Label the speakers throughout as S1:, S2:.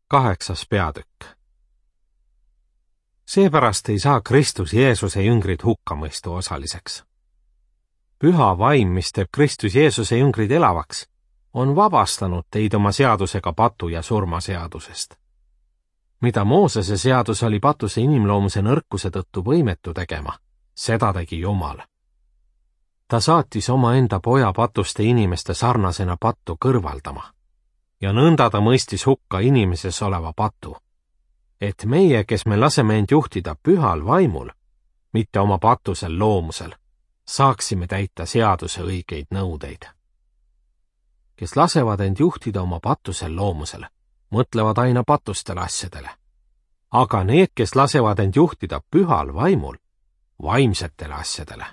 S1: 8. peatükk. Seepärast ei saa Kristus Jeesuse jüngrid hukkamõistu osaliseks. Püha vaim, mis teeb Kristus Jeesuse jüngrid elavaks, on vabastanud teid oma seadusega patu ja surma seadusest. Mida Moosese seadus oli patuse inimloomuse nõrkuse tõttu võimetu tegema, seda tegi Jumal. Ta saatis omaenda poja patuste inimeste sarnasena pattu kõrvaldama ja nõnda ta mõistis hukka inimeses oleva patu, et meie, kes me laseme end juhtida pühal vaimul, mitte oma patusel loomusel, saaksime täita seaduse õigeid nõudeid. Kes lasevad end juhtida oma patusel loomusel, mõtlevad aina patustele asjadele, aga need, kes lasevad end juhtida pühal vaimul, vaimsetele asjadele.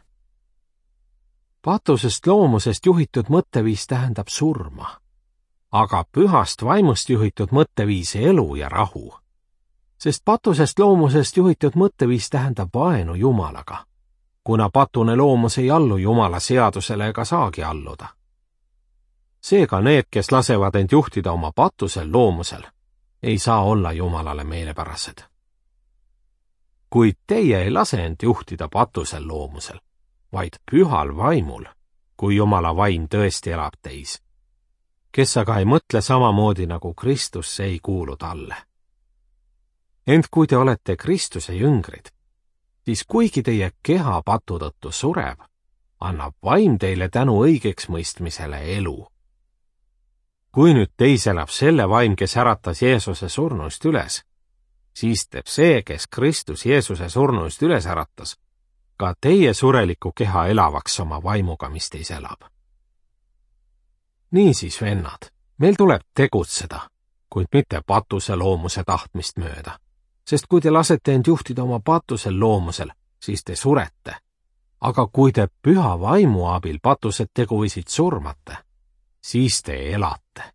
S1: Patusest loomusest juhitud mõtteviis tähendab surma, aga pühast vaimust juhitud mõtteviis elu ja rahu, sest patusest loomusest juhitud mõtteviis tähendab vaenu Jumalaga, kuna patune loomus ei allu Jumala seadusele ega saagi alluda. Seega need, kes lasevad end juhtida oma patusel loomusel, ei saa olla Jumalale meelepärased. Kuid teie ei lase end juhtida patusel loomusel, vaid pühal vaimul, kui Jumala vaim tõesti elab teis, kes aga ei mõtle samamoodi nagu Kristus, ei kuulu talle. Ent kui te olete Kristuse jüngrid, siis kuigi teie keha patu tõttu sureb, annab vaim teile tänu õigeks mõistmisele elu. Kui nüüd teis elab selle vaim, kes äratas Jeesuse surnuist üles, siis teeb see, kes Kristus Jeesuse surnuist üles äratas, ka teie sureliku keha elavaks oma vaimuga, mis teis elab. Niisiis, vennad, meil tuleb tegutseda, kuid mitte patuse loomuse tahtmist mööda, sest kui te lasete end juhtida oma patusel loomusel, siis te surete, aga kui te püha vaimu abil patused teguvisid surmate, siis te elate.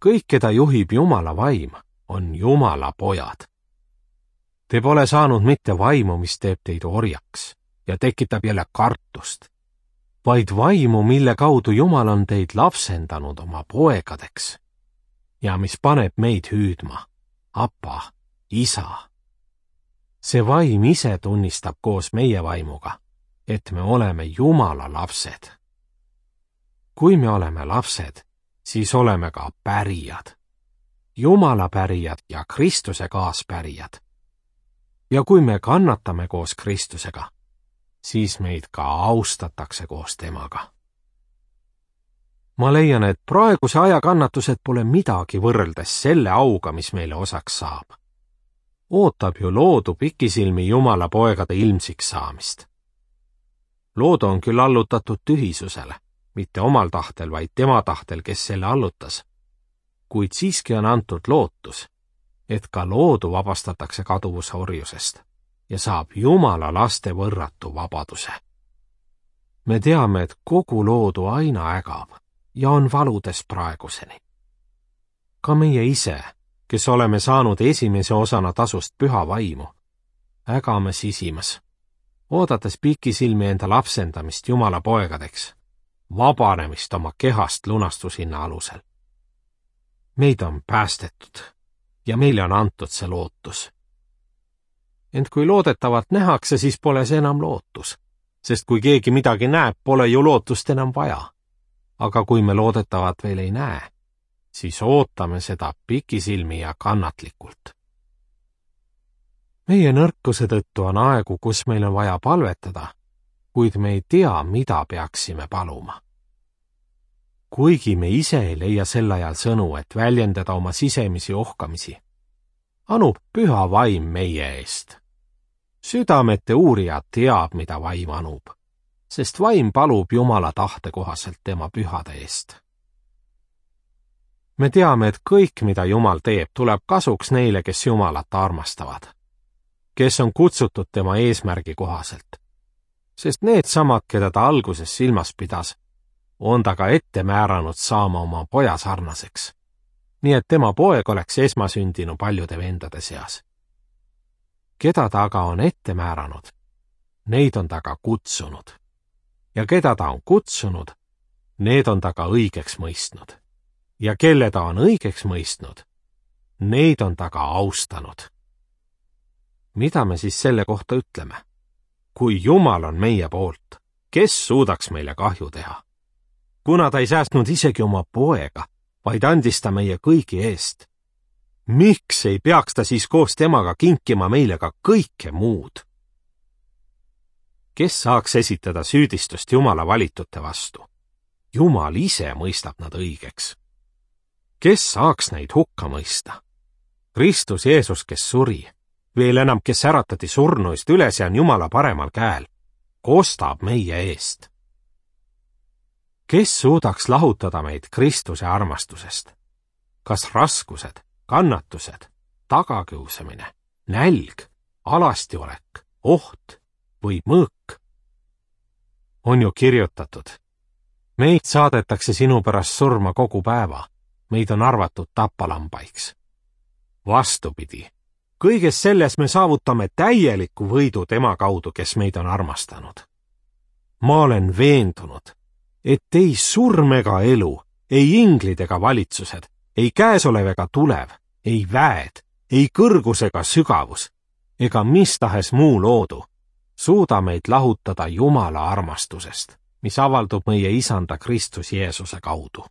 S1: Kõik, keda juhib Jumala vaim, on Jumala pojad. Te pole saanud mitte vaimu, mis teeb teid orjaks ja tekitab jälle kartust, vaid vaimu, mille kaudu Jumal on teid lapsendanud oma poegadeks ja mis paneb meid hüüdma, Apa, Isa. See vaim ise tunnistab koos meie vaimuga, et me oleme Jumala lapsed. Kui me oleme lapsed, siis oleme ka pärijad, Jumala pärijad ja Kristuse kaaspärijad. Ja kui me kannatame koos Kristusega, siis meid ka austatakse koos temaga. Ma leian, et praeguse aja kannatused pole midagi võrreldes selle auga, mis meile osaks saab. Ootab ju loodu pikisilmi Jumala poegade ilmsiks saamist. Loodu on küll allutatud tühisusele, mitte omal tahtel, vaid tema tahtel, kes selle allutas. Kuid siiski on antud lootus, et ka loodu vabastatakse kaduvuse orjusest ja saab Jumala laste võrratu vabaduse. Me teame, et kogu loodu aina ägab ja on valudes praeguseni. Ka meie ise, kes oleme saanud esimese osana tasust püha vaimu, ägame sisimas, oodates pikisilmi enda lapsendamist Jumala poegadeks, vabanemist oma kehast lunastushinna alusel. Meid on päästetud ja meile on antud see lootus. Ent kui loodetavat nähakse, siis pole see enam lootus, sest kui keegi midagi näeb, pole ju lootust enam vaja. Aga kui me loodetavat veel ei näe, siis ootame seda pikisilmi ja kannatlikult. Meie nõrkuse tõttu on aegu, kus meil on vaja palvetada, kuid me ei tea, mida peaksime paluma. Kuigi me ise ei leia sel ajal sõnu, et väljendada oma sisemisi ohkamisi, anub püha vaim meie eest. Südamete uurija teab, mida vaim anub, sest vaim palub Jumala tahte kohaselt tema pühade eest. Me teame, et kõik, mida Jumal teeb, tuleb kasuks neile, kes Jumalat armastavad, kes on kutsutud tema eesmärgi kohaselt, sest need samad, keda ta alguses silmas pidas, on ta ka ette määranud saama oma poja sarnaseks, nii et tema poeg oleks esmasündinu paljude vendade seas. Keda ta aga on ette määranud, neid on ta ka kutsunud, ja keda ta on kutsunud, need on ta ka õigeks mõistnud, ja kelle ta on õigeks mõistnud, neid on ta ka austanud. Mida me siis selle kohta ütleme? Kui Jumal on meie poolt, kes suudaks meile kahju teha? Kuna ta ei säästnud isegi oma poega, vaid andis ta meie kõigi eest. Miks ei peaks ta siis koos temaga kinkima meile ka kõike muud? Kes saaks esitada süüdistust Jumala valitute vastu? Jumal ise mõistab nad õigeks. Kes saaks neid hukka mõista? Kristus Jeesus, kes suri, veel enam, kes äratati surnuist üles ja on Jumala paremal käel, kostab meie eest. Kes suudaks lahutada meid Kristuse armastusest? Kas raskused, kannatused, tagakiusamine, nälg, alastiolek, oht või mõõk? On ju kirjutatud: meid saadetakse sinu pärast surma kogu päeva, meid on arvatud tapalambaiks. Vastupidi, kõiges selles me saavutame täieliku võidu tema kaudu, kes meid on armastanud. Ma olen veendunud, et ei surm ega elu, ei inglid ega valitsused, ei käesolev ega tulev, ei väed, ei kõrgus ega sügavus, ega mis tahes muu loodu, suuda meid lahutada Jumala armastusest, mis avaldub meie Isanda Kristus Jeesuse kaudu.